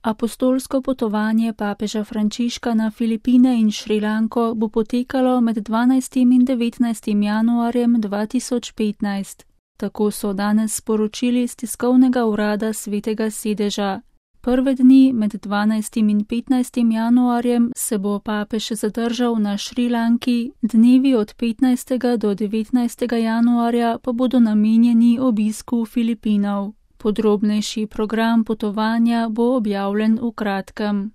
Apostolsko potovanje papeža Frančiška na Filipine in Šrilanko bo potekalo med 12. in 19. januarjem 2015. Tako so danes sporočili iz tiskovnega urada Svetega sedeža. Prve dni med 12. in 15. januarjem se bo papež zadržal na Šrilanki, dnevi od 15. do 19. januarja pa bodo namenjeni obisku Filipinov. Podrobnejši program potovanja bo objavljen v kratkem.